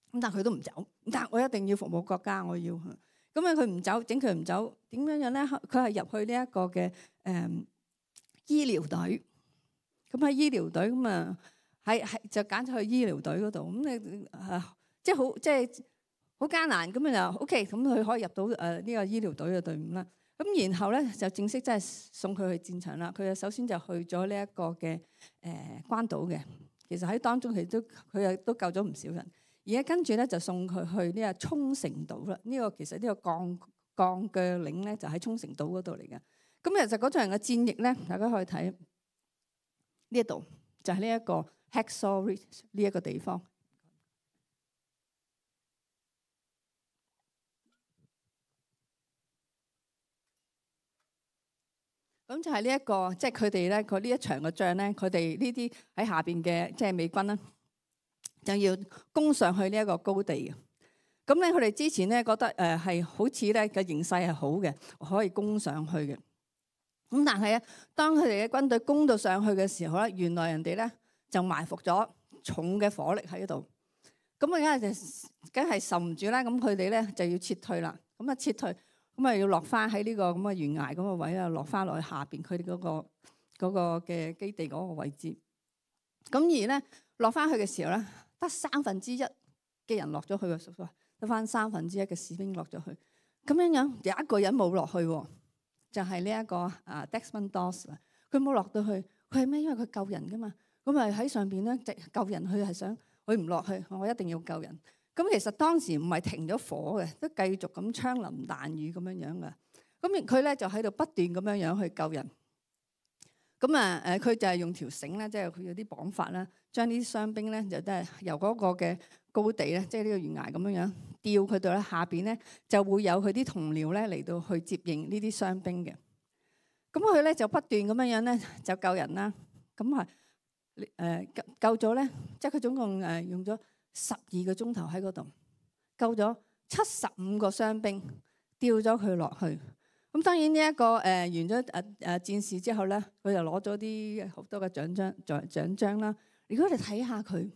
咁但係佢都唔走，但係我一定要服務國家，我要。咁啊，佢唔走，整佢唔走，點樣樣咧？佢係入去呢一個嘅誒、嗯、醫療隊。咁喺醫療隊咁啊，喺係就揀咗去醫療隊嗰度。咁你啊，即係好即係好艱難。咁啊就 OK，咁佢可以入到誒呢個醫療隊嘅隊伍啦。咁然後咧就正式真係送佢去戰場啦。佢就首先就去咗呢一個嘅誒關島嘅，其實喺當中佢都佢又都救咗唔少人。而家跟住咧就送佢去呢個沖繩島啦。呢、這個其實呢個鋼鋼鋸嶺咧就喺沖繩島嗰度嚟嘅。咁其實嗰場嘅戰役咧，大家可以睇呢一度，就係呢一個 Hacksaw Ridge 呢一個地方。咁就係呢一個，即係佢哋咧，佢呢一場嘅仗咧，佢哋呢啲喺下邊嘅即係美軍啦，就要攻上去呢一個高地嘅。咁咧，佢哋之前咧覺得誒係好似咧嘅形勢係好嘅，可以攻上去嘅。咁但係咧，當佢哋嘅軍隊攻到上去嘅時候咧，原來人哋咧就埋伏咗重嘅火力喺度。咁啊，梗係就梗係受唔住啦。咁佢哋咧就要撤退啦。咁啊，撤退。咁啊，要落翻喺呢個咁嘅懸崖咁嘅位啊，落翻落去下邊佢哋嗰個嗰個嘅基地嗰個位置。咁而咧落翻去嘅時候咧，得三分之一嘅人落咗去喎，得翻三分之一嘅士兵落咗去。咁樣樣有一個人冇落去，就係呢一個啊 Desmond Doss 啦。佢冇落到去，佢係咩？因為佢救人噶嘛。咁啊喺上邊咧，救人佢係想佢唔落去，我一定要救人。咁其實當時唔係停咗火嘅，都繼續咁槍林彈雨咁樣樣嘅。咁佢咧就喺度不斷咁樣樣去救人。咁啊誒，佢就係用條繩咧，即係佢有啲綁法啦，將呢啲傷兵咧就都係由嗰個嘅高地咧，即係呢個懸崖咁樣樣吊佢到咧下邊咧，就會有佢啲同僚咧嚟到去接應呢啲傷兵嘅。咁佢咧就不斷咁樣樣咧就救人啦。咁啊誒救救咗咧，即係佢總共誒用咗十二個鐘頭喺嗰度救咗七十五個傷兵，吊咗佢落去。咁當然呢、這、一個誒、呃、完咗誒誒戰事之後咧，佢就攞咗啲好多嘅獎章獎獎章啦。如果你睇下佢，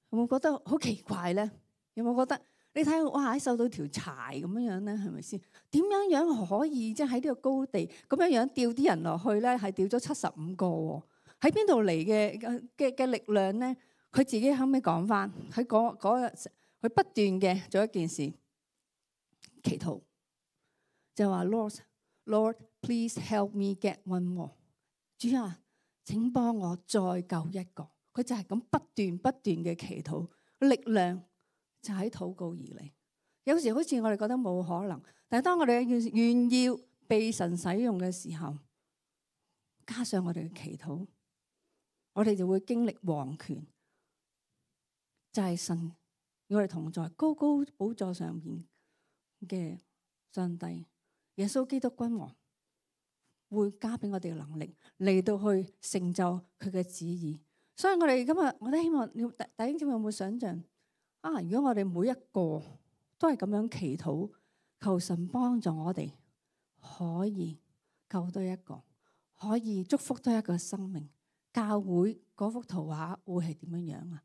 有冇覺得好奇怪咧？有冇覺得你睇哇，受到條柴咁樣樣咧，係咪先？點樣樣可以即係喺呢個高地咁樣樣吊啲人落去咧？係吊咗七十五個喎，喺邊度嚟嘅嘅嘅力量咧？佢自己後尾講翻，喺嗰嗰日佢不斷嘅做一件事，祈禱就話 Lord Lord please help me get one more。主啊，請幫我再救一個。佢就係咁不斷不斷嘅祈禱，力量就喺禱告而嚟。有時好似我哋覺得冇可能，但係當我哋願意被神使用嘅時候，加上我哋嘅祈禱，我哋就會經歷王權。就係神與我哋同在，高高寶座上面嘅上帝，耶穌基督君王會加俾我哋嘅能力嚟到去成就佢嘅旨意。所以我哋今日我都希望你弟兄姊妹有冇想象啊？如果我哋每一個都係咁樣祈禱，求神幫助我哋可以救多一個，可以祝福多一個生命，教會嗰幅圖畫會係點樣樣啊？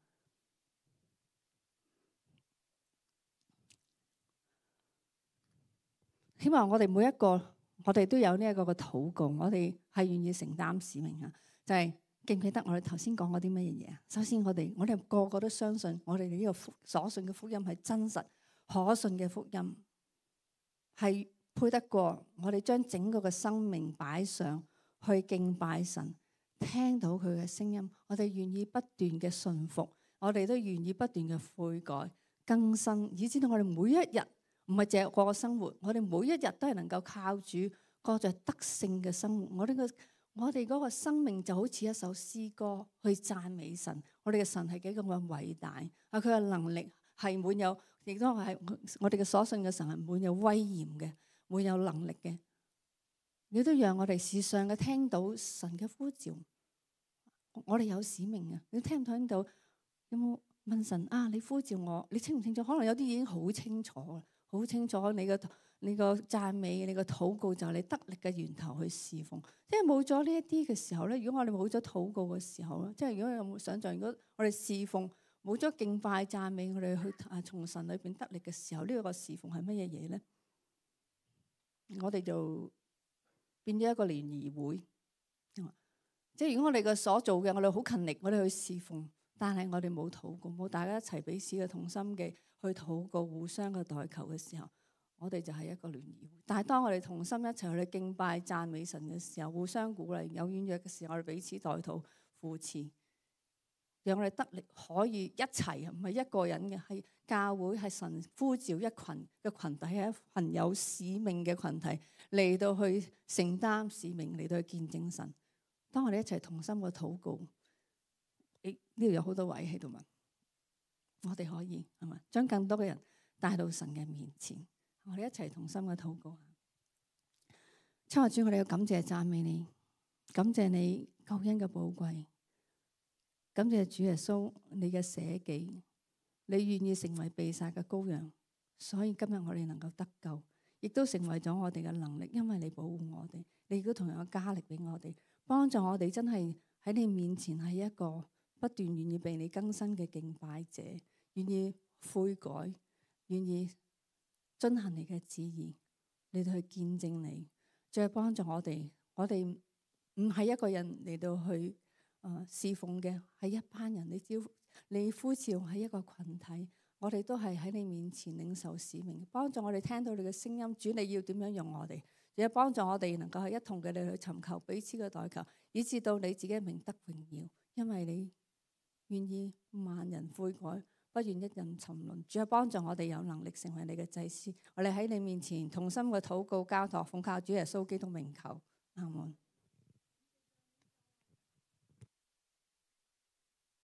希望我哋每一個，我哋都有呢一個嘅禱告，我哋係願意承擔使命啊！就係、是、記唔記得我哋頭先講過啲乜嘢嘢啊？首先我哋，我哋個個都相信我哋呢個所信嘅福音係真實可信嘅福音，係配得過我哋將整個嘅生命擺上去敬拜神，聽到佢嘅聲音，我哋願意不斷嘅順服，我哋都願意不斷嘅悔改更新，以至到我哋每一日。唔係淨係過個生活，我哋每一日都係能夠靠主過着得勝嘅生活。我哋個我哋嗰個生命就好似一首詩歌去讚美神。我哋嘅神係幾咁嘅偉大啊！佢嘅能力係滿有，亦都係我哋嘅所信嘅神係滿有威嚴嘅，滿有能力嘅。你都讓我哋時常嘅聽到神嘅呼召。我哋有使命啊！你聽唔聽到？有冇問神啊？你呼召我，你清唔清楚？可能有啲已經好清楚啦。好清楚你個你個讚美，你個禱告就係你得力嘅源頭去侍奉。即係冇咗呢一啲嘅時候咧，如果我哋冇咗禱告嘅時候咧，即係如果有冇想象，如果我哋侍奉冇咗敬拜讚美，我哋去啊從神裏邊得力嘅時候，呢、這個侍奉係乜嘢嘢咧？我哋就變咗一個聯誼會。即係如果我哋嘅所做嘅，我哋好勤力，我哋去侍奉，但係我哋冇禱告，冇大家一齊彼此嘅同心嘅。去禱告，互相嘅代求嘅時候，我哋就係一個聯誼會。但係當我哋同心一齊去敬拜讚美神嘅時候，互相鼓勵，有軟弱嘅時候，我哋彼此代禱扶持，讓我哋得力可以一齊，唔係一個人嘅，係教會係神呼召一群嘅群體，係一群有使命嘅群體嚟到去承擔使命，嚟到去見證神。當我哋一齊同心嘅禱告，誒呢度有好多位喺度嘛，我哋可以係嘛，將更多嘅人帶到神嘅面前。我哋一齊同心嘅禱告。親愛主，我哋要感謝讚美你，感謝你救恩嘅寶貴，感謝主耶穌你嘅捨己，你願意成為被殺嘅羔羊，所以今日我哋能夠得救，亦都成為咗我哋嘅能力，因為你保護我哋，你亦都同樣加力俾我哋，幫助我哋真係喺你面前係一個不斷願意被你更新嘅敬拜者，願意悔改，願意遵行你嘅旨意，嚟到去見證你，再幫助我哋。我哋唔係一個人嚟到去誒侍奉嘅，係一班人。你招你呼召係一個群體，我哋都係喺你面前領受使命，幫助我哋聽到你嘅聲音。主，你要點樣用我哋？亦幫助我哋能夠係一同嘅你去尋求彼此嘅代求，以至到你自己嘅名得榮耀。因為你願意萬人悔改，不願一人沉淪。主啊，幫助我哋有能力成為你嘅祭司。我哋喺你面前同心嘅禱告交託，奉靠主耶穌基督名求，阿門。